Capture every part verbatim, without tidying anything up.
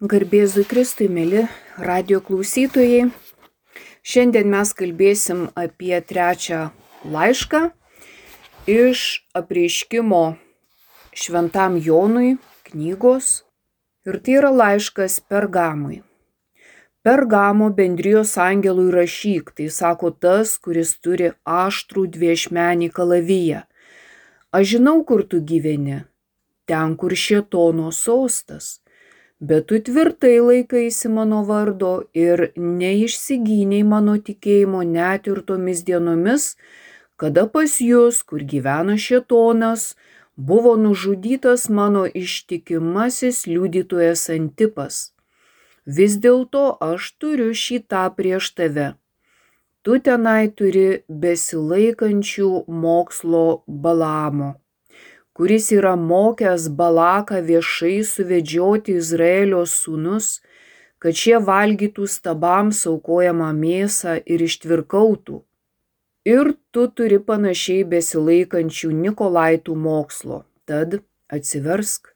Garbėzui Kristui, mėly radijo klausytojai. Šiandien mes kalbėsim apie trečią laišką iš apreiškimo Šventam Jonui knygos. Ir tai yra laiškas Pergamui. Pergamo bendrijos angelui rašyk, tai sako tas, kuris turi aštrų dviešmenį kalaviją. Aš žinau, kur tu gyveni, ten, kur šėtono sostas. Bet tu tvirtai laikaisi mano vardo ir neišsigynei mano tikėjimo net ir tomis dienomis, kada pas jūs, kur gyvena šėtonas, buvo nužudytas mano ištikimasis liudytojas Antipas. Vis dėlto aš turiu šį tą prieš tave. Tu tenai turi besilaikančių mokslo Balamo, kuris yra mokęs Balaką viešai suvedžioti Izraelio sūnus, kad šie valgytų stabams aukojamą mėsą ir ištvirkautų. Ir tu turi panašiai besilaikančių Nikolaitų mokslo, tad atsiversk.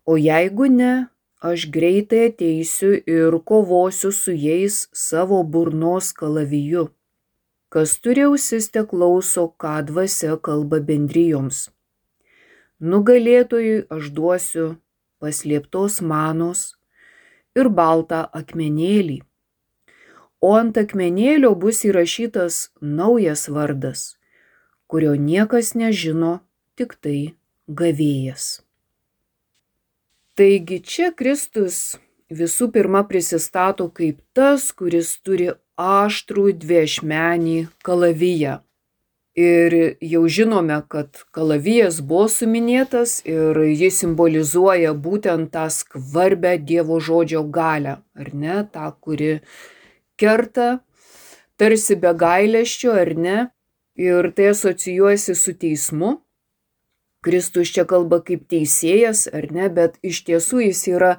O jeigu ne, aš greitai ateisiu ir kovosiu su jais savo burnos kalaviju. Kas turi ausis, te klauso, ką dvasia kalba bendrijoms. Nugalėtojui aš duosiu paslėptos manos ir baltą akmenėlį. O ant akmenėlio bus įrašytas naujas vardas, kurio niekas nežino, tik tai gavėjas. Taigi čia Kristus visų pirma prisistato kaip tas, kuris turi aštrų dviešmenį kalaviją. Ir jau žinome, kad kalavijas buvo suminėtas ir jis simbolizuoja būtent tą skvarbią Dievo žodžio galią, ar ne, tą, kuri kerta tarsi be gailesčio, ar ne, ir tai asocijuojasi su teismu. Kristus čia kalba kaip teisėjas, ar ne, bet iš tiesų jis yra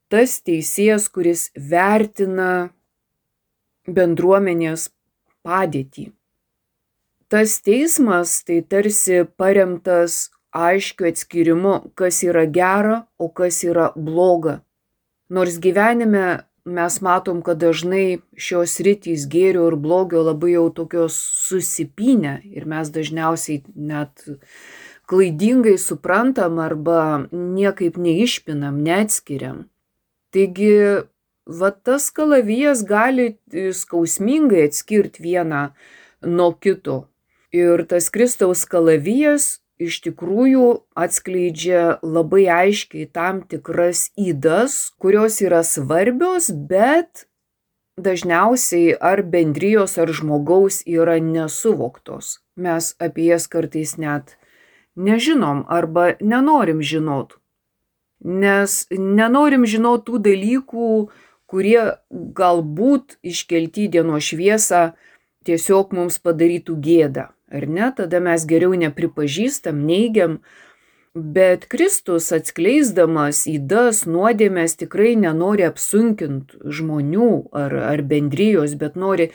tas teisėjas, kuris vertina bendruomenės padėtį. Tas teismas tai tarsi paremtas aiškiu atskyrimu, kas yra gera, o kas yra bloga. Nors gyvenime mes matom, kad dažnai šios sritys gėrio ir blogio labai jau tokios susipynę ir mes dažniausiai net klaidingai suprantam arba niekaip neišpinam, neatskiriam. Taigi, va tas kalavijas gali skausmingai atskirti vieną nuo kito. Ir tas Kristaus kalavijas iš tikrųjų atskleidžia labai aiškiai tam tikras ydas, kurios yra svarbios, bet dažniausiai ar bendrijos, ar žmogaus yra nesuvoktos. Mes apie jas kartais net nežinom arba nenorim žinot. Nes nenorim žinot tų dalykų, kurie galbūt iškelti į dienos šviesą tiesiog mums padarytų gėdą. Ar ne? Tada mes geriau nepripažįstam, neigiam, bet Kristus atskleisdamas ydas, nuodėmes tikrai nenori apsunkinti žmonių ar, ar bendrijos, bet nori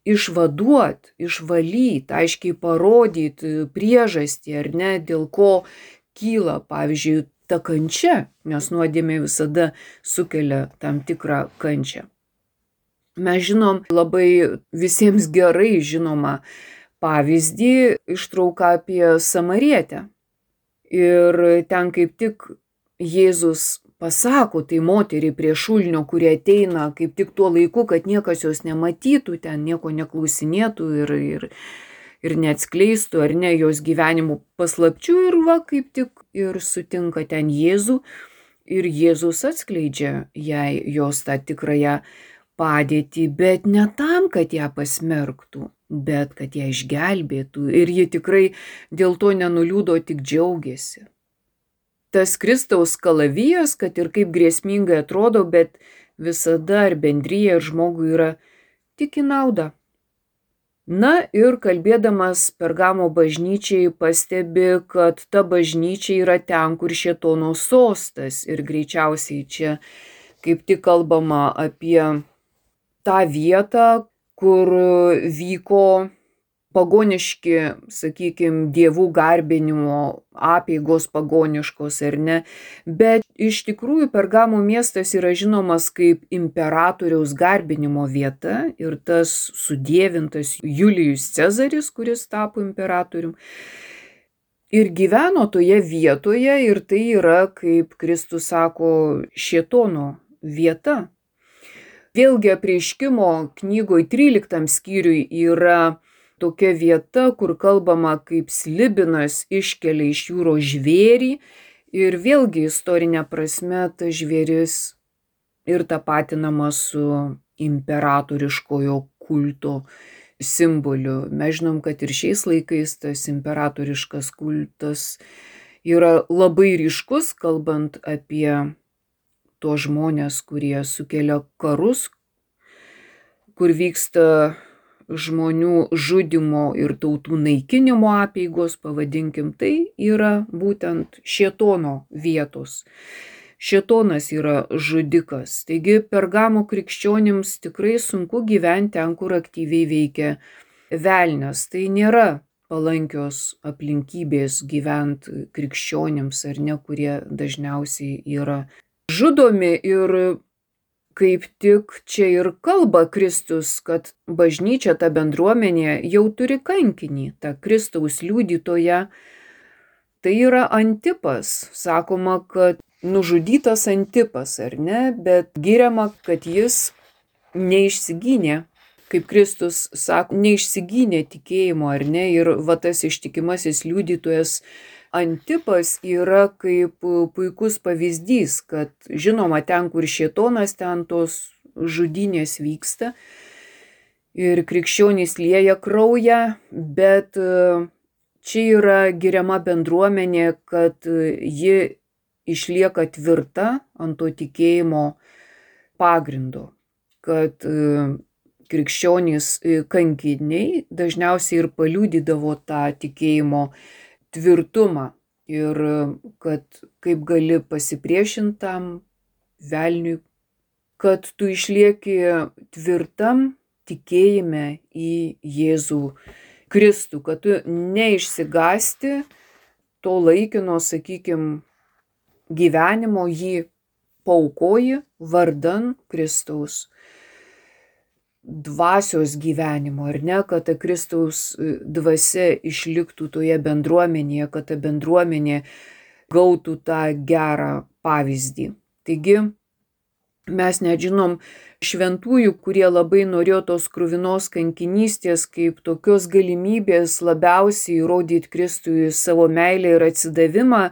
išvaduoti, išvalyti, aiškiai parodyti priežastį, ar ne, dėl ko kyla, pavyzdžiui, ta kančia, nes nuodėmė visada sukelia tam tikrą kančią. Mes žinom labai visiems gerai žinomą pavyzdį, ištrauką apie Samarietę. Ir ten kaip tik Jėzus pasako tai moteriai prie šulinio, kurie ateina kaip tik tuo laiku, kad niekas jos nematytų, ten nieko neklausinėtų ir, ir, ir neatskleistų, ar ne, jos gyvenimų paslapčių. Ir va, kaip tik ir sutinka ten Jėzų. Ir Jėzus atskleidžia jai jos tą tikrąją padėtį, bet ne tam, kad ją pasmerktų, bet kad ją išgelbėtų. Ir ji tikrai dėl to nenuliūdo, tik džiaugiasi. Tas Kristaus kalavijas, kad ir kaip grėsmingai atrodo, bet visada ar bendrija, ar žmogui yra tik į naudą. Na ir kalbėdamas Pergamo bažnyčiai pastebi, kad ta bažnyčia yra ten, kur šėtono sostas. Ir greičiausiai čia kaip tik kalbama apie tą vietą, kur vyko pagoniški, sakykime, dievų garbinimo apeigos pagoniškos ar ne, bet iš tikrųjų Pergamo miestas yra žinomas kaip imperatoriaus garbinimo vieta ir tas sudievintas Julijus Cezaris, kuris tapo imperatorium, ir gyveno toje vietoje ir tai yra, kaip Kristus sako, šėtono vieta. Vėlgi Apreiškimo knygoj tryliktam skyriui yra tokia vieta, kur kalbama, kaip slibinas iškelia iš jūros žvėrį ir vėlgi istorinė prasme tas žvėris ir tapatinama su imperatoriškojo kulto simboliu. Mes žinom, kad ir šiais laikais tas imperatoriškas kultas yra labai ryškus, kalbant apie tuos žmonės, kurie sukelia karus, kur vyksta žmonių žudimo ir tautų naikinimo apeigos, pavadinkim, tai yra būtent šėtono vietos. Šėtonas yra žudikas. Taigi Pergamo krikščionims tikrai sunku gyventi ten, kur aktyviai veikia velnias. Tai nėra palankios aplinkybės gyventi krikščionims ar ne, kurie dažniausiai yra žudomi. Ir kaip tik čia ir kalba Kristus, kad bažnyčia, ta bendruomenė jau turi kankinį, tą Kristaus liudytoją. Tai yra Antipas. Sakoma, kad nužudytas Antipas, ar ne, bet giriama, kad jis neišsigynė, kaip Kristus sako, neišsigynė tikėjimo, ar ne, ir va tas ištikimasis liudytojas Antipas yra kaip puikus pavyzdys, kad žinoma, ten, kur šėtonas, ten tos žudynės vyksta ir krikščionys lieja kraują, bet čia yra giriama bendruomenė, kad ji išlieka tvirta ant to tikėjimo pagrindo, kad krikščionys kankiniai dažniausiai ir paliudydavo tą tikėjimo tvirtumą ir kad kaip gali pasipriešintam velniui, kad tu išlieki tvirtam tikėjime į Jėzų Kristų, kad tu neišsigąsti to laikino, sakykime, gyvenimo, jį paaukoji vardan Kristaus dvasios gyvenimo, ar ne, kad ta Kristaus dvasia išliktų toje bendruomenėje, kad ta bendruomenė gautų tą gerą pavyzdį. Taigi mes nežinom šventųjų, kurie labai norėjo tos kruvinos kankinystės kaip tokios galimybės labiausiai įrodyti Kristui savo meilę ir atsidavimą.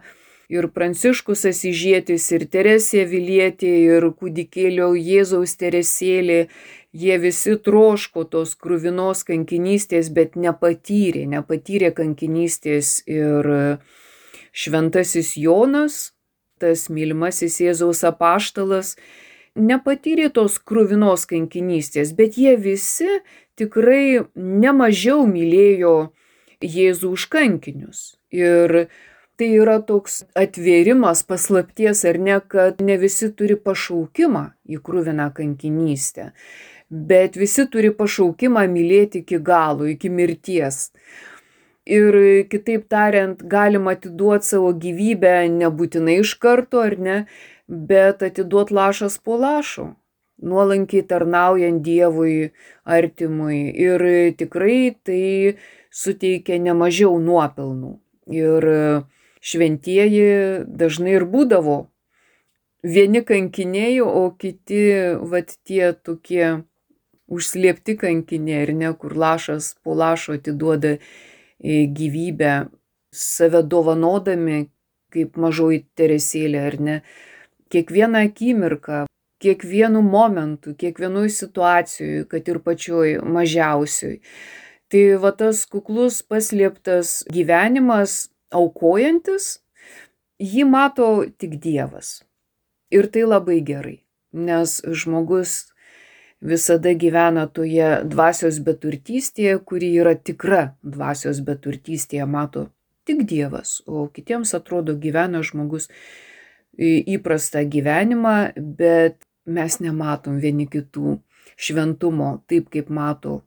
Ir Pranciškus Asyžietis, ir Teresė Avilietė, ir kūdikėlio Jėzaus Teresėlė, jie visi troško tos kruvinos kankinystės, bet nepatyrė, nepatyrė kankinystės. Ir šventasis Jonas, tas mylimasis Jėzaus apaštalas, nepatyrė tos kruvinos kankinystės, bet jie visi tikrai nemažiau mylėjo Jėzų už kankinius. Ir tai yra toks atvėrimas paslapties, ar ne, kad ne visi turi pašaukimą į kruviną kankinystę, bet visi turi pašaukimą mylėti iki galo, iki mirties. Ir kitaip tariant, galima atiduoti savo gyvybę nebūtinai iš karto, ar ne, bet atiduoti lašas po lašo, nuolankiai tarnaujant Dievui artimui. Ir tikrai tai suteikia nemažiau nuopelnų. Ir šventieji dažnai ir būdavo vieni kankiniai, o kiti, vat tie tokie užslėpti kankiniai, ar ne, kur lašas po lašo atiduoda gyvybę, save dovanodami, kaip mažoji Teresėlė, ar ne, kiekvieną akimirką, kiekvienu momentu, kiekvienoj situacijoj, kad ir pačioj mažiausioj. Tai va tas kuklus paslėptas gyvenimas, aukojantis, jį mato tik Dievas. Ir tai labai gerai, nes žmogus visada gyvena toje dvasios beturtystėje, kuri yra tikra dvasios beturtystėje, mato tik Dievas, o kitiems atrodo gyvena žmogus įprastą gyvenimą, bet mes nematom vieni kitų šventumo taip, kaip mato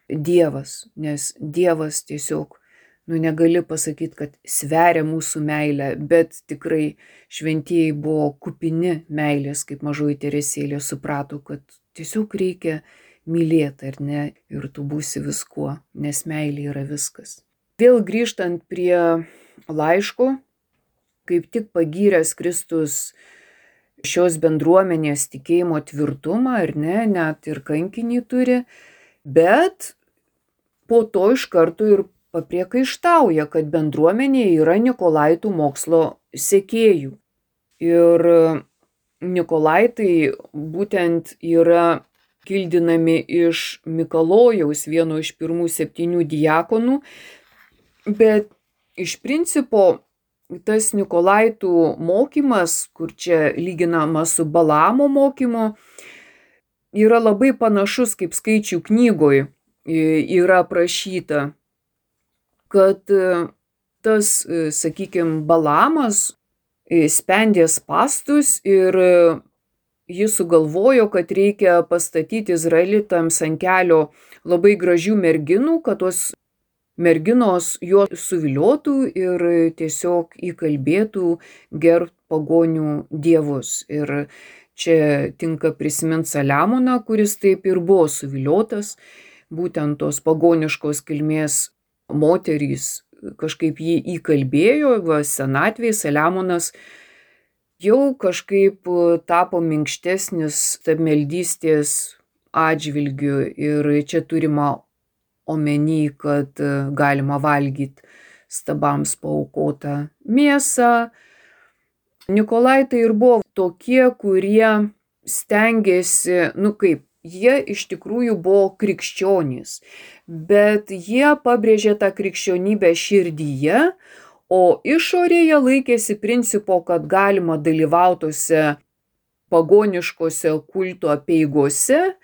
Dievas, nes Dievas tiesiog, nu negali pasakyti, kad sveria mūsų meilę, bet tikrai šventieji buvo kupini meilės, kaip mažoji Teresėlė suprato, kad tiesiog reikia mylėti, ar ne, ir tu būsi viskuo, nes meilė yra viskas. Vėl grįžtant prie laiško, kaip tik pagyręs Kristus šios bendruomenės tikėjimo tvirtumą, ar ne, net ir kankinį turi, bet po to iš karto ir papriekaištauja, kad bendruomenė yra Nikolaitų mokslo sekėjų. Ir Nikolaitai būtent yra kildinami iš Mikalojaus, vieno iš pirmų septynių diakonų, bet iš principo tas Nikolaitų mokymas, kur čia lyginama su Balamo mokymu, yra labai panašus, kaip Skaičių knygoje yra aprašyta, kad tas, sakykime, Balamas spendė spąstus ir jis sugalvojo, kad reikia pastatyti izraelitams ant kelio labai gražių merginų, kad tos merginos juos suviliotų ir tiesiog įkalbėtų gerbt pagonių dievus. Ir čia tinka prisiminti Saliamoną, kuris taip ir buvo suviliotas, būtent tos pagoniškos kilmės moterys kažkaip jį įkalbėjo, va, senatvėje Saliamonas jau kažkaip tapo minkštesnis stabmeldystės atžvilgiu ir čia turima omeny, kad galima valgyti stabams paaukotą mėsą. Nikolaitai ir buvo tokie, kurie stengiasi, nu kaip, jie iš tikrųjų buvo krikščionys, bet jie pabrėžė tą krikščionybę širdyje, o išorėje laikėsi principo, kad galima dalyvautose pagoniškose kulto apeigose,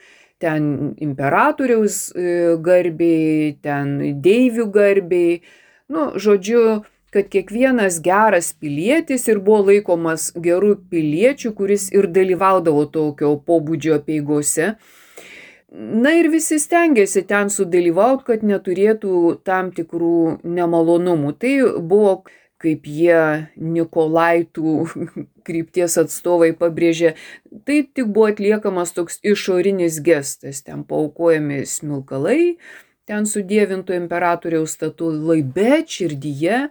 ten imperatoriaus garbei, ten deivių garbei, nu, žodžiu, kad kiekvienas geras pilietis ir buvo laikomas geru piliečiu, kuris ir dalyvaudavo tokio pobūdžio apeigose. Na ir visi stengiasi ten sudalyvauti, kad neturėtų tam tikrų nemalonumų. Tai buvo, kaip jie Nikolaitų krypties atstovai pabrėžė, tai tik buvo atliekamas toks išorinis gestas, ten paaukojami smilkalai, ten sudievinto imperatoriaus statulai, bet širdyje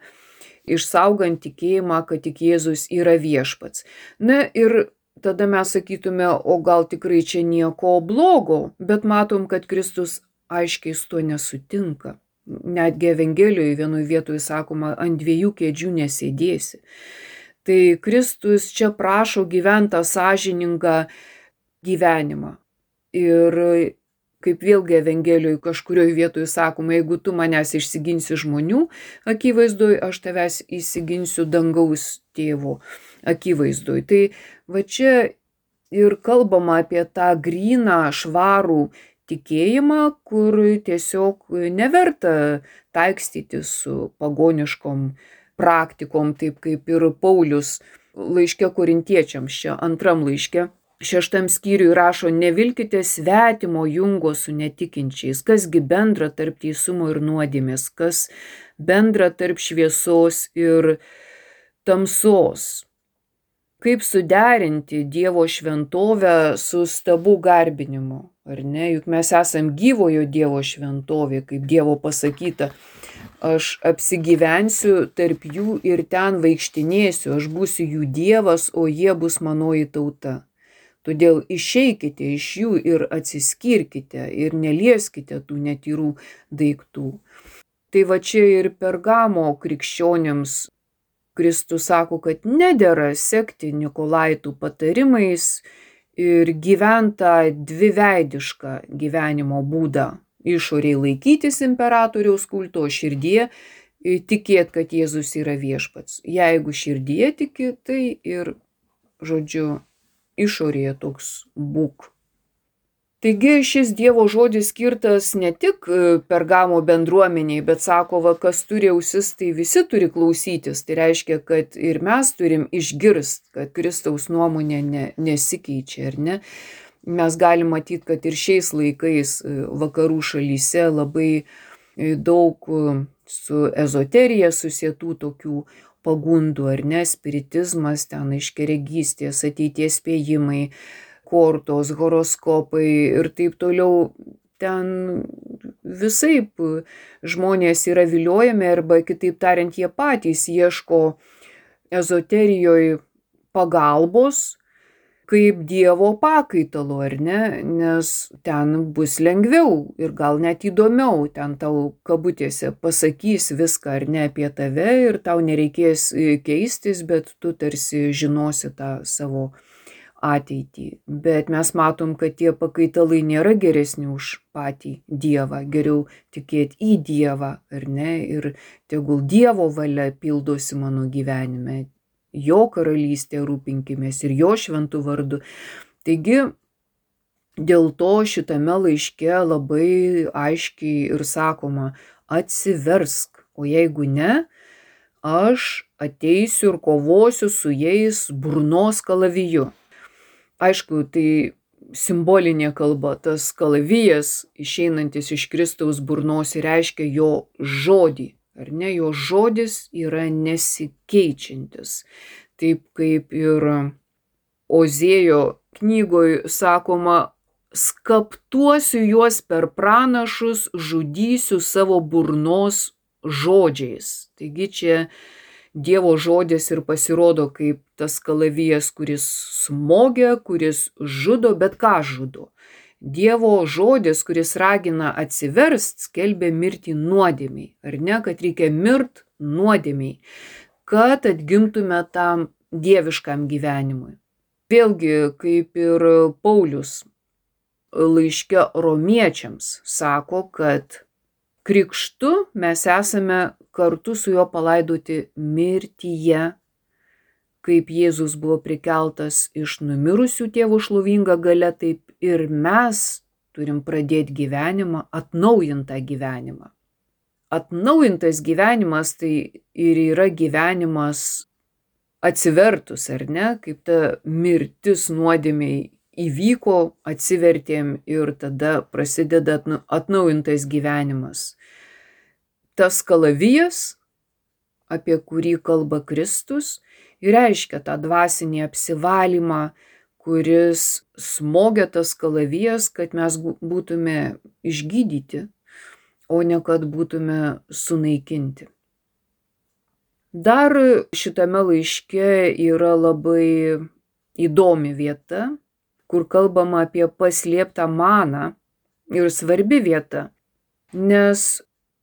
išsaugant tikėjimą, kad tik Jėzus yra viešpats. Na ir tada mes sakytume, o gal tikrai čia nieko blogo, bet matom, kad Kristus aiškiai su tuo nesutinka. Netgi Evangelijoje vienoje vietoje sakoma, ant dviejų kėdžių nesėdėsi. Tai Kristus čia prašo gyventi sąžiningą gyvenimą. Ir kaip vėlgi Evangelijoje kažkurioje vietoje sakoma, jeigu tu manęs išsiginsi žmonių akivaizdoje, aš tavęs įsiginsiu dangaus tėvo akivaizdoje. Tai va čia ir kalbama apie tą gryną, švarų tikėjimą, kur tiesiog neverta taikstyti su pagoniškom praktikom, taip kaip ir Paulius laiške korintiečiams, čia antram laiške, šeštam skyriui rašo, nevilkite svetimo jungo su netikinčiais, kasgi bendra tarp teisumo ir nuodėmės, kas bendra tarp šviesos ir tamsos. Kaip suderinti Dievo šventovę su stabų garbinimu, ar ne? Juk mes esam gyvojo Dievo šventovė, kaip Dievo pasakyta, aš apsigyvensiu tarp jų ir ten vaikštinėsiu, aš būsiu jų Dievas, o jie bus manoji tauta. Todėl išeikite iš jų ir atsiskirkite ir nelieskite tų netyrų daiktų. Tai va čia ir Pergamo krikščionims Kristus sako, kad nedera sekti Nikolaitų patarimais ir gyventą dviveidišką gyvenimo būdą. Išoriai laikytis imperatoriaus kulto, širdyje tikėt, kad Jėzus yra viešpats. Jeigu širdyje tiki, tai ir, žodžiu, išorėje toks būk. Taigi šis Dievo žodis skirtas ne tik Pergamo bendruomeniai, bet sako, va, kas turi ausis, tai visi turi klausytis. Tai reiškia, kad ir mes turim išgirsti, kad Kristaus nuomonė ne, nesikeičia, ar ne? Mes galim matyti, kad ir šiais laikais vakarų šalyse labai daug su ezoterija susietų tokių pagundų, ar ne, spiritizmas, ten aiškiaregystės, ateities spėjimai, kortos, horoskopai ir taip toliau. Ten visaip žmonės yra viliojami arba, kitaip tariant, jie patys ieško ezoterijoje pagalbos kaip Dievo pakaitalo, ar ne, nes ten bus lengviau ir gal net įdomiau, ten tau kabutėse pasakys viską ar ne apie tave ir tau nereikės keistis, bet tu tarsi žinosi tą savo ateitį. Bet mes matom, kad tie pakaitalai nėra geresni už patį Dievą, geriau tikėti į Dievą, ar ne, ir tegul Dievo valia pildosi mano gyvenime. Jo karalystė rūpinkimės ir jo šventų vardu. Taigi, dėl to šitame laiške labai aiškiai ir sakoma, atsiversk, o jeigu ne, aš ateisiu ir kovosiu su jais burnos kalaviju. Aišku, tai simbolinė kalba, tas kalavijas išeinantis iš Kristaus burnos reiškia jo žodį. Ar ne, jo žodis yra nesikeičiantis. Taip kaip ir Ozėjo knygoje sakoma, skaptuosiu juos per pranašus, žudysiu savo burnos žodžiais. Taigi čia Dievo žodis ir pasirodo kaip tas kalavijas, kuris smogia, kuris žudo, bet ką žudo? Dievo žodis, kuris ragina atsiverst, skelbia mirtį nuodėmiai, ar ne, kad reikia mirt nuodėmiai, kad atgimtume tam dieviškam gyvenimui. Vėlgi, kaip ir Paulius laiške romiečiams sako, kad krikštu mes esame kartu su juo palaidoti mirtyje, kaip Jėzus buvo prikeltas iš numirusių Tėvo šlovinga galia, taip ir mes turim pradėti gyvenimą, atnaujintą gyvenimą. Atnaujintas gyvenimas tai ir yra gyvenimas atsivertus, ar ne, kaip ta mirtis nuodėmiai įvyko, atsivertėm ir tada prasideda atnaujintas gyvenimas. Tas kalavijas, apie kurį kalba Kristus, ir reiškia tą dvasinį apsivalymą, kuris smogia tas kalavijas, kad mes būtume išgydyti, o ne kad būtume sunaikinti. Dar šitame laiške yra labai įdomi vieta, kur kalbama apie paslėptą maną ir svarbi vieta, nes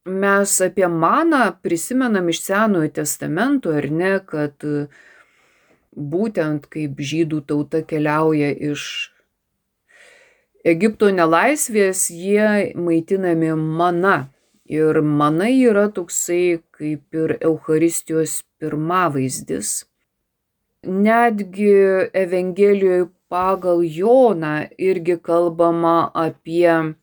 mes apie maną prisimenam iš Senojo testamento, ar ne, kad būtent kaip žydų tauta keliauja iš Egipto nelaisvės, jie maitinami mana. Ir mana yra toksai kaip ir Eucharistijos pirmavaizdis. Netgi Evangelijoje pagal Joną irgi kalbama apie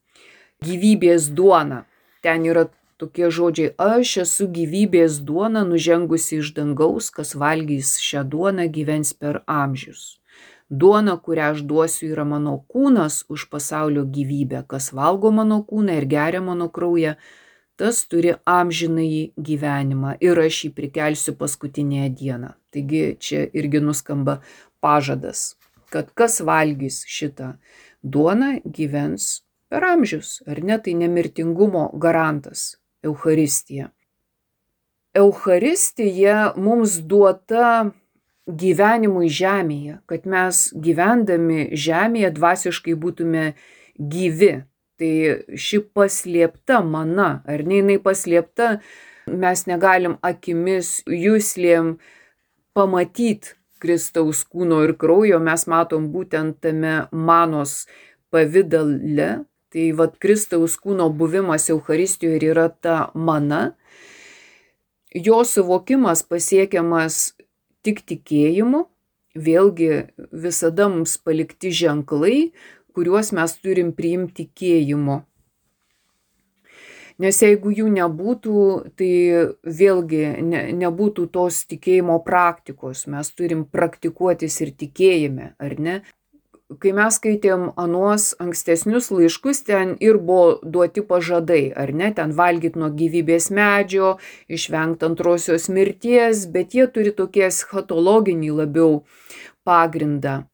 gyvybės duoną. Ten yra tokie žodžiai, aš esu gyvybės duona nužengusi iš dangaus, kas valgys šią duoną gyvens per amžius. Duona, kurią aš duosiu, yra mano kūnas už pasaulio gyvybę, kas valgo mano kūną ir geria mano kraują, tas turi amžinąjį gyvenimą ir aš jį prikelsiu paskutinėje dieną. Taigi čia irgi nuskamba pažadas, kad kas valgys šitą duoną gyvens per amžius, ar ne, tai nemirtingumo garantas. Eucharistija. Eucharistija mums duota gyvenimui žemėje, kad mes gyvendami žemėje dvasiškai būtume gyvi. Tai ši paslėpta mana, ar ne, jinai paslėpta, mes negalim akimis, juslėm pamatyti Kristaus kūno ir kraujo, mes matom būtent tame manos pavidale. Tai vat Kristaus kūno buvimas Eucharistijoje ir yra ta mana. Jo suvokimas pasiekiamas tik tikėjimu, vėlgi visada mums palikti ženklai, kuriuos mes turim priimti tikėjimu. Nes jeigu jų nebūtų, tai vėlgi ne, nebūtų tos tikėjimo praktikos, mes turim praktikuotis ir tikėjime, ar ne? kai mes skaitėm anuos ankstesnius laiškus, ten ir buvo duoti pažadai, ar ne, ten valgyt nuo gyvybės medžio, išvengti antrosios mirties, bet jie turi tokie eschatologinį labiau pagrindą.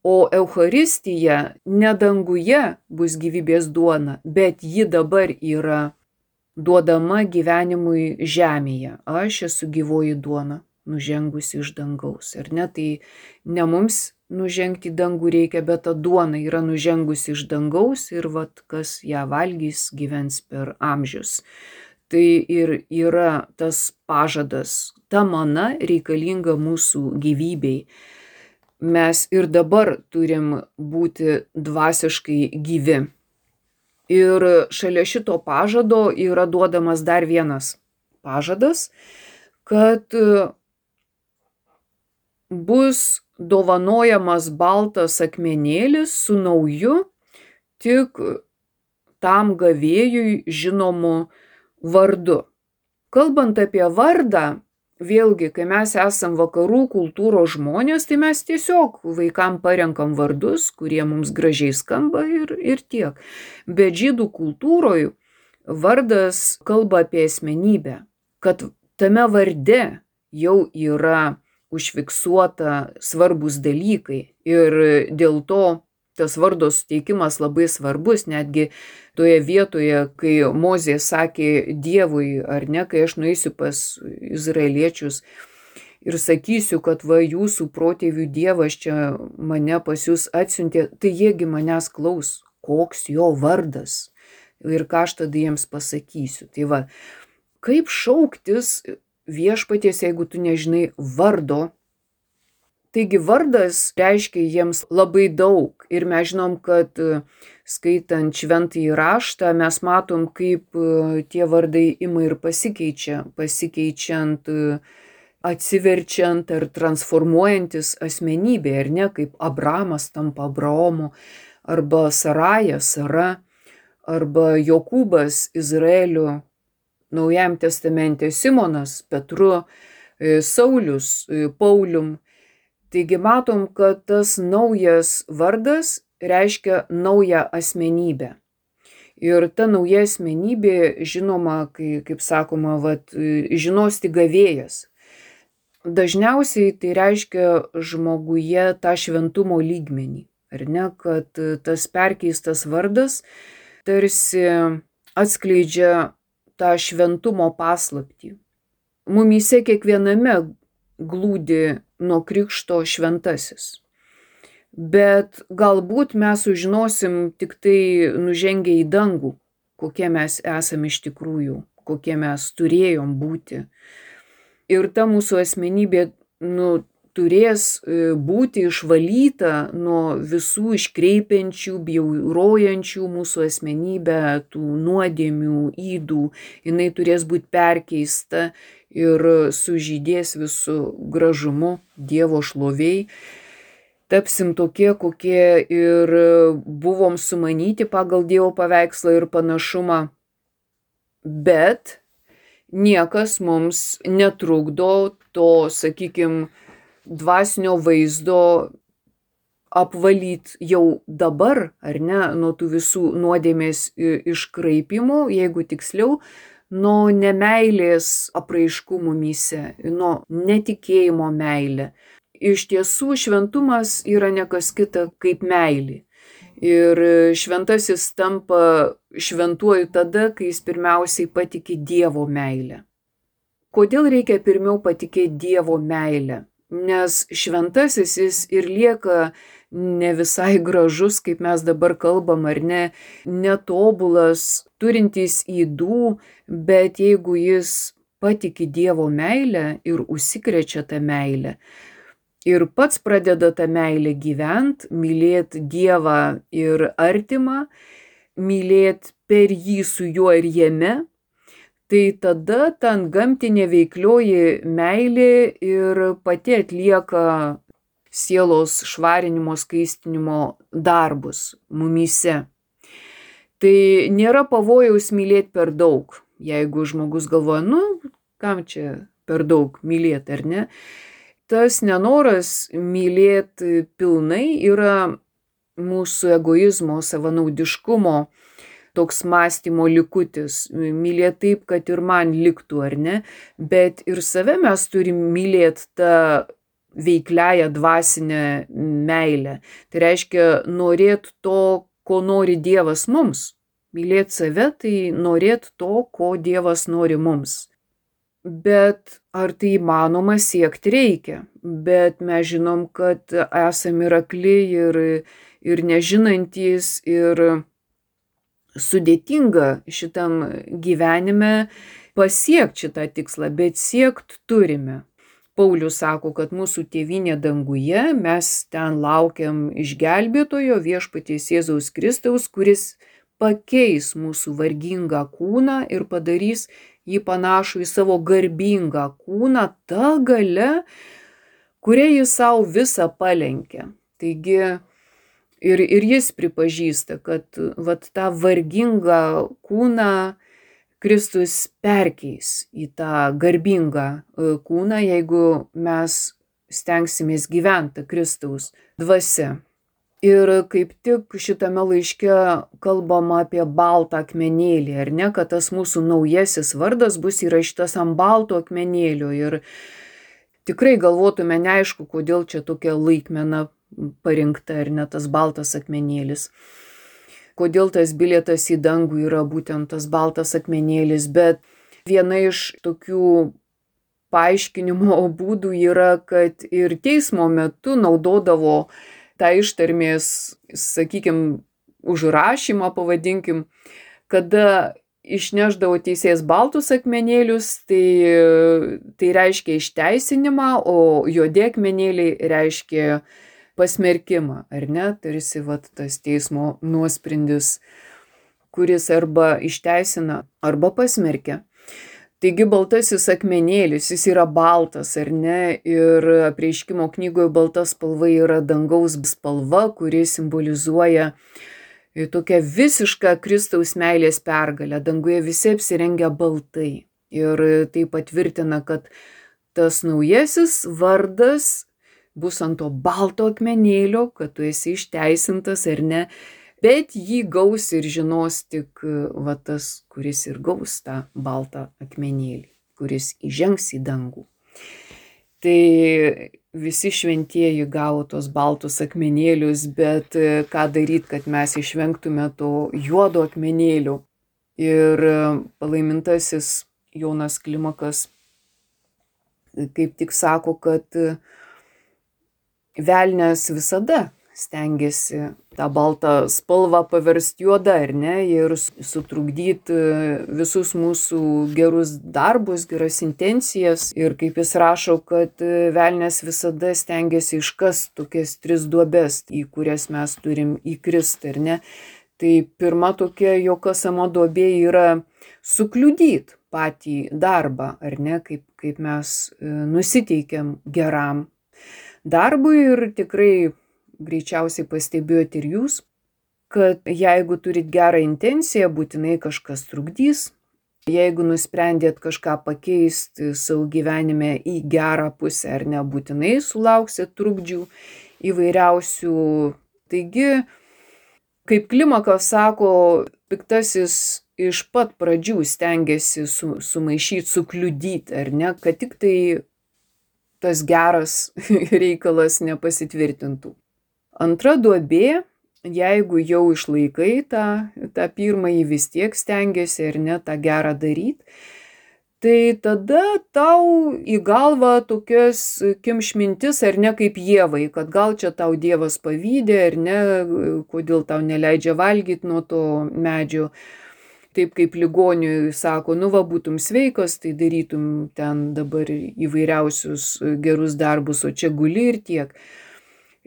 O Eucharistija ne danguje bus gyvybės duona, bet ji dabar yra duodama gyvenimui žemėje. Aš esu gyvoji duona, nužengusi iš dangaus. Ar ne, tai ne mums nužengti į dangų reikia, bet ta duona yra nužengusi iš dangaus ir vat, kas ją valgys, gyvens per amžius. Tai ir yra tas pažadas, ta mana reikalinga mūsų gyvybei. Mes ir dabar turim būti dvasiškai gyvi. Ir šalia šito pažado yra duodamas dar vienas pažadas, kad bus dovanojamas baltas akmenėlis su nauju, tik tam gavėjui žinomu vardu. Kalbant apie vardą, vėlgi, kai mes esam vakarų kultūros žmonės, tai mes tiesiog vaikam parenkam vardus, kurie mums gražiai skamba ir, ir tiek. Bet žydų kultūroje vardas kalba apie asmenybę, kad tame varde jau yra užfiksuota svarbus dalykai ir dėl to tas vardo suteikimas labai svarbus, netgi toje vietoje, kai Mozė sakė Dievui, ar ne, kai aš nueisiu pas izraeliečius ir sakysiu, kad va jūsų protėvių Dievas čia mane pas jūs atsiuntė, tai jiegi manęs klaus, koks jo vardas ir ką aš tada jiems pasakysiu. Tai va, kaip šauktis viešpaties, jeigu tu nežinai vardo. Taigi vardas reiškia jiems labai daug ir mes žinom, kad skaitant šventąjį raštą mes matom, kaip tie vardai ima ir pasikeičia, pasikeičiant, atsiverčiant ar transformuojantis asmenybė, ar ne, kaip Abramas tampa Abraomu, arba Saraja Sara, arba Jokūbas Izraeliu, Naujajam testamente Simonas Petru, Saulius Paulium. Taigi matom, kad tas naujas vardas reiškia naują asmenybę. Ir ta nauja asmenybė, žinoma, kai, kaip sakoma, vat, žinos tik gavėjas. Dažniausiai tai reiškia žmoguje tą šventumo lygmenį. Ar ne, kad tas perkeistas vardas tarsi atskleidžia tą šventumo paslaptį. Mumyse kiekviename glūdi nuo krikšto šventasis. Bet galbūt mes sužinosim tik tai nužengę į dangų, kokie mes esame iš tikrųjų, kokie mes turėjom būti. Ir ta mūsų asmenybė nu, turės būti išvalyta nuo visų iškreipiančių, bjaurojančių mūsų asmenybę, tų nuodėmių, ydų. Jinai turės būti perkeista ir sužydės visų gražumu Dievo šloviai. Tapsim tokie, kokie ir buvom sumanyti pagal Dievo paveikslą ir panašumą. Bet niekas mums netrukdo to, sakykime, dvasinio vaizdo apvalyt jau dabar, ar ne, nuo tų visų nuodėmės iškraipimų, jeigu tiksliau, nuo nemeilės apraiškų mumyse, nuo netikėjimo meilė. Iš tiesų šventumas yra ne kas kita kaip meilė. Ir šventasis tampa šventuoju tada, kai jis pirmiausiai patiki Dievo meilę. Kodėl reikia pirmiau patikėti Dievo meilę? Nes šventasis jis ir lieka ne visai gražus, kaip mes dabar kalbam, ar ne, netobulas, turintis ydų, bet jeigu jis patiki Dievo meilę ir užsikrečia tą meilę, ir pats pradeda tą meilę gyvent, mylėt Dievą ir artimą, mylėt per jį su juo ir jame, tai tada ta antgamtinė veiklioji meilė ir pati atlieka sielos švarinimo, skaistinimo darbus mumyse. Tai nėra pavojaus mylėti per daug. Jeigu žmogus galvoja, nu, kam čia per daug mylėti, ar ne? Tas nenoras mylėti pilnai yra mūsų egoizmo, savanaudiškumo toks mąstymo likutis. Mylėt taip, kad ir man liktų, ar ne? Bet ir save mes turim mylėt tą veikliąją dvasinę meilę. Tai reiškia norėt to, ko nori Dievas mums. Mylėt save, tai norėt to, ko Dievas nori mums. Bet ar tai įmanoma siekti reikia? Bet mes žinom, kad esam ir akli, ir, ir nežinantys, ir sudėtinga šitam gyvenime pasiekti šitą tikslą, bet siekt turime. Paulius sako, kad mūsų tėvynė danguje, mes ten laukiam išgelbėtojo viešpaties Jėzaus Kristaus, kuris pakeis mūsų vargingą kūną ir padarys jį panašų į savo garbingą kūną, ta galia, kuria jis savo visą palenkia. Taigi ir, ir jis pripažįsta, kad vat, tą vargingą kūną Kristus perkeis į tą garbingą kūną, jeigu mes stengsimės gyventi Kristaus dvasia. Ir kaip tik šitame laiške kalbama apie baltą akmenėlį, ar ne, kad tas mūsų naujasis vardas bus įrašytas ant balto akmenėlio. Ir tikrai galvotume neaišku, kodėl čia tokia laikmena parinkta, ar ne, tas baltas akmenėlis. Kodėl tas bilietas į dangų yra būtent tas baltas akmenėlis, bet viena iš tokių paaiškinimo būdų yra, kad ir teismo metu naudodavo tą ištarmės, sakykime, užrašymą, pavadinkim, kada išneždavo teisėjas baltus akmenėlius, tai, tai reiškia išteisinimą, o juodi akmenėliai reiškia pasmerkimą, ar ne? Tarsi vat, tas teismo nuosprendis, kuris arba išteisina, arba pasmerkia. Taigi baltasis akmenėlis, jis yra baltas, ar ne? Ir Apreiškimo knygoje balta spalva yra dangaus spalva, kuri simbolizuoja tokią visišką Kristaus meilės pergalę. Danguje visi apsirengia baltai. Ir tai patvirtina, kad tas naujasis vardas bus ant to balto akmenėlio, kad tu esi išteisintas ar ne, bet jį gaus ir žinos tik va tas, kuris ir gaus tą baltą akmenėlį, kuris įžengs į dangų. Tai visi šventieji gavo tos baltus akmenėlius, bet ką daryti, kad mes išvengtume to juodo akmenėlio. Ir palaimintasis Jonas Klimakas kaip tik sako, kad velnias visada stengiasi tą baltą spalvą paversti juoda, ar ne, ir sutrukdyti visus mūsų gerus darbus, geras intencijas. Ir kaip jis rašo, kad velnias visada stengiasi iškasti tokias tris duobes, į kurias mes turim įkristi, ar ne. Tai pirma tokia jo kasama duobė yra sukliudyti patį darbą, ar ne, kaip, kaip mes nusiteikiam geram darbui. Ir tikrai greičiausiai pastebėjot ir jūs, kad jeigu turit gerą intenciją, būtinai kažkas trukdys. Jeigu nusprendėt kažką pakeisti savo gyvenime į gerą pusę, ar ne, būtinai sulauksit trukdžių įvairiausių. Taigi, kaip Klimakas sako, piktasis iš pat pradžių stengiasi su, sumaišyti, sukliudyti, ar ne, kad tik tai tas geras reikalas nepasitvirtintų. Antra duobė, jeigu jau išlaikai tą, tą pirmąjį, vis tiek stengiasi ar ne tą gerą daryti, tai tada tau į galvą tokias kimš mintis, ar ne, kaip Ievai, kad gal čia tau Dievas pavydė, ar ne, kodėl tau neleidžia valgyti nuo to medžio. Taip kaip ligoniui sako, nu va, būtum sveikas, tai darytum ten dabar įvairiausius gerus darbus, o čia guli ir tiek.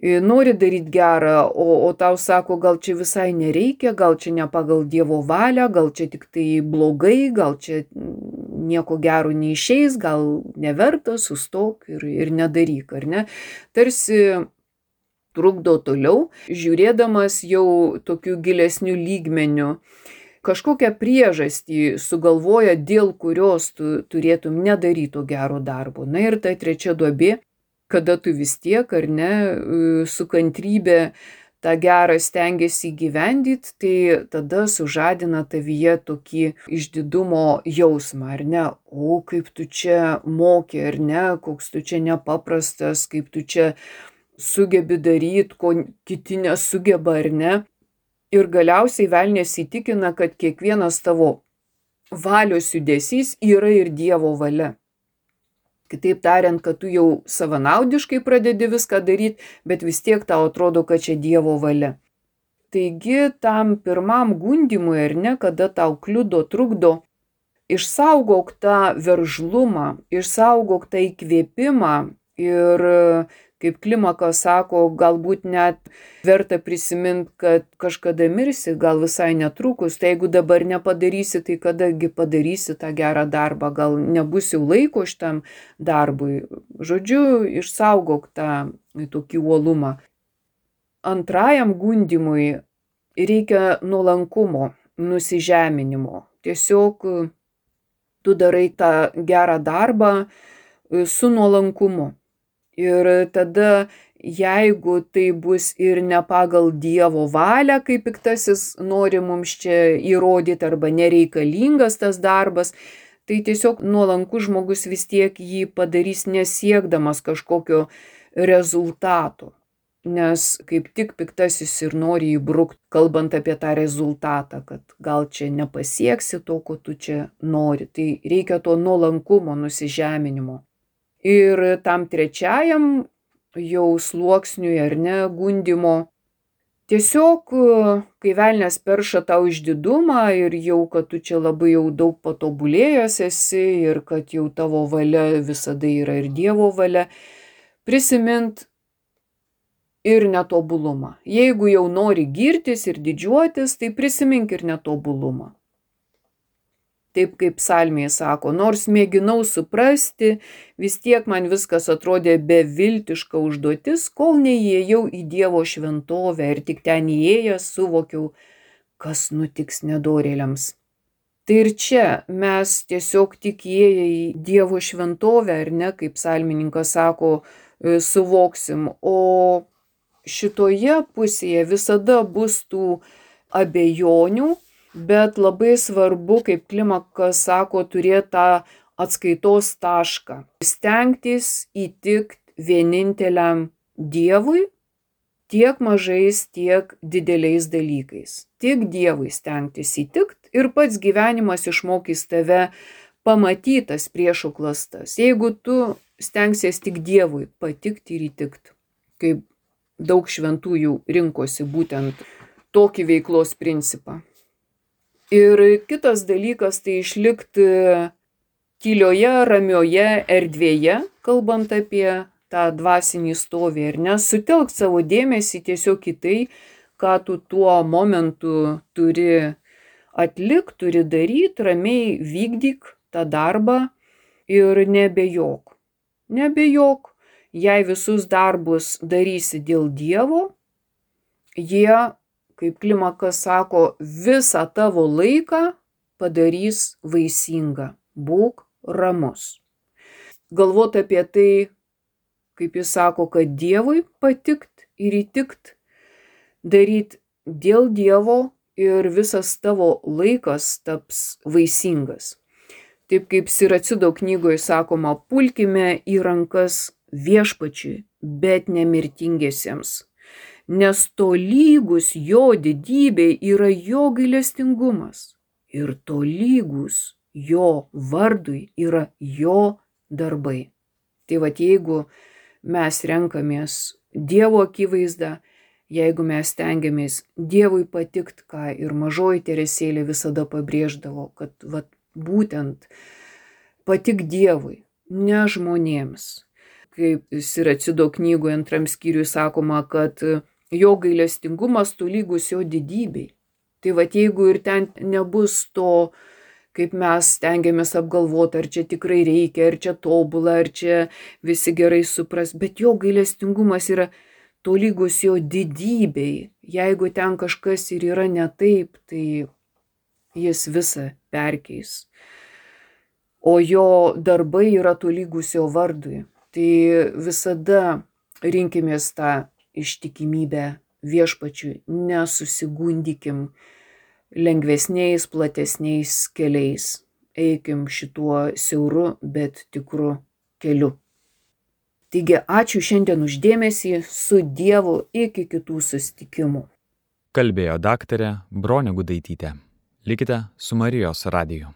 Nori daryti gerą, o, o tau sako, gal čia visai nereikia, gal čia ne pagal Dievo valią, gal čia tik tai blogai, gal čia nieko gero neišeis, gal neverta, sustok ir, ir nedaryk, ar ne? Tarsi trukdo toliau, žiūrėdamas jau tokiu gilesniu lygmeniu, kažkokią priežastį sugalvoja, dėl kurios tu turėtum nedaryti gero darbo. Na ir ta trečia duobė, kada tu vis tiek, ar ne, su kantrybė tą gerą stengiasi įgyvendyti, tai tada sužadina tavyje tokį išdidumo jausmą, ar ne? O kaip tu čia moki, ar ne? Koks tu čia nepaprastas, kaip tu čia sugebi daryti, ko kiti nesugeba, ar ne? Ir galiausiai velnias įtikina, kad kiekvienas tavo valios judesys yra ir Dievo valia. Kitaip tariant, kad tu jau savanaudiškai pradedi viską daryti, bet vis tiek tau atrodo, kad čia Dievo valia. Taigi tam pirmam gundymui, ar ne, kada tau kliudo, trukdo, išsaugok tą veržlumą, išsaugok tą įkvėpimą ir, kaip Klimakas sako, galbūt net verta prisiminti, kad kažkada mirsi, gal visai netrukus, tai jeigu dabar nepadarysi, tai kadagi padarysi tą gerą darbą, gal nebus jau laiko šitam darbui. Žodžiu, išsaugok tą tokį uolumą. Antrajam gundymui reikia nuolankumo, nusižeminimo. Tiesiog tu darai tą gerą darbą su nuolankumu. Ir tada, jeigu tai bus ir ne pagal Dievo valią, kaip piktasis nori mums čia įrodyti, arba nereikalingas tas darbas, tai tiesiog nuolankus žmogus vis tiek jį padarys nesiekdamas kažkokio rezultato. Nes kaip tik piktasis ir nori įbrukti, kalbant apie tą rezultatą, kad gal čia nepasieksi to, ko tu čia nori. Tai reikia to nuolankumo, nusižeminimo. Ir tam trečiajam jau sluoksniui, ar ne, gundymo, tiesiog, kai velnias perša tau išdidumą ir jau, kad tu čia labai jau daug patobulėjęs esi ir kad jau tavo valia visada yra ir Dievo valia, prisimint ir netobulumą. Jeigu jau nori girtis ir didžiuotis, tai prisimink ir netobulumą. Taip kaip psalmėje sako, nors mėginau suprasti, vis tiek man viskas atrodė beviltiška užduotis, kol neįėjau į Dievo šventovę ir tik ten įėjęs suvokiau, kas nutiks nedorėliams. Tai ir čia mes tiesiog tik įėję į Dievo šventovę, ar ne, kaip psalmininkas sako, suvoksim, o šitoje pusėje visada bus tų abejonių, bet labai svarbu, kaip Klimakas sako, turėti tą atskaitos tašką. Stengtis įtikti vieninteliam Dievui tiek mažais, tiek dideliais dalykais. Tik Dievui stengtis įtikti ir pats gyvenimas išmokys tave pamatytas priešų klastas. Jeigu tu stengsies tik Dievui patikti ir įtikti, kaip daug šventųjų rinkosi būtent tokį veiklos principą. Ir kitas dalykas tai išlikti tylioje, ramioje erdvėje, kalbant apie tą dvasinį stovį, ir nesutelk savo dėmesį tiesiog į tai, ką tu tuo momentu turi atlikti, turi daryti, ramiai vykdyk tą darbą ir nebejok. Nebejok, jei visus darbus darysi dėl Dievo, jie, kaip Klimakas sako, visą tavo laiką padarys vaisingą. Būk ramus. Galvot apie tai, kaip jis sako, kad Dievui patikt ir įtikt, daryt dėl Dievo ir visas tavo laikas taps vaisingas. Taip kaip Siracido knygoje sakoma, pulkime į rankas viešpačiui, bet nemirtingiesiems. Nes tolygus jo didybei yra jo gailestingumas ir tolygus jo vardui yra jo darbai. Tai vat jeigu mes renkamės Dievo akivaizdą, jeigu mes stengiamės Dievui patikt, ką ir mažoji Teresėlė visada pabrėždavo, kad vat būtent patik Dievui, ne žmonėms. Kaip Siracido knygoje antram skyriui sakoma, kad jo gailestingumas tolygus jo didybei. Tai vat jeigu ir ten nebus to, kaip mes stengiamės apgalvoti, ar čia tikrai reikia, ar čia tobula, ar čia visi gerai supras, bet jo gailestingumas yra tolygus jo didybei. Jeigu ten kažkas ir yra ne taip, tai jis visą perkeis. O jo darbai yra tolygus jo vardui. Tai visada rinkimės tą ištikimybę viešpačiui, nesusigundykim lengvesniais, platesniais keliais. Eikim šituo siauru, bet tikru keliu. Taigi ačiū šiandien uždėmesį, su Dievu, iki kitų susitikimų. Kalbėjo daktarė Bronė Gudaitytė. Likite su Marijos radiju.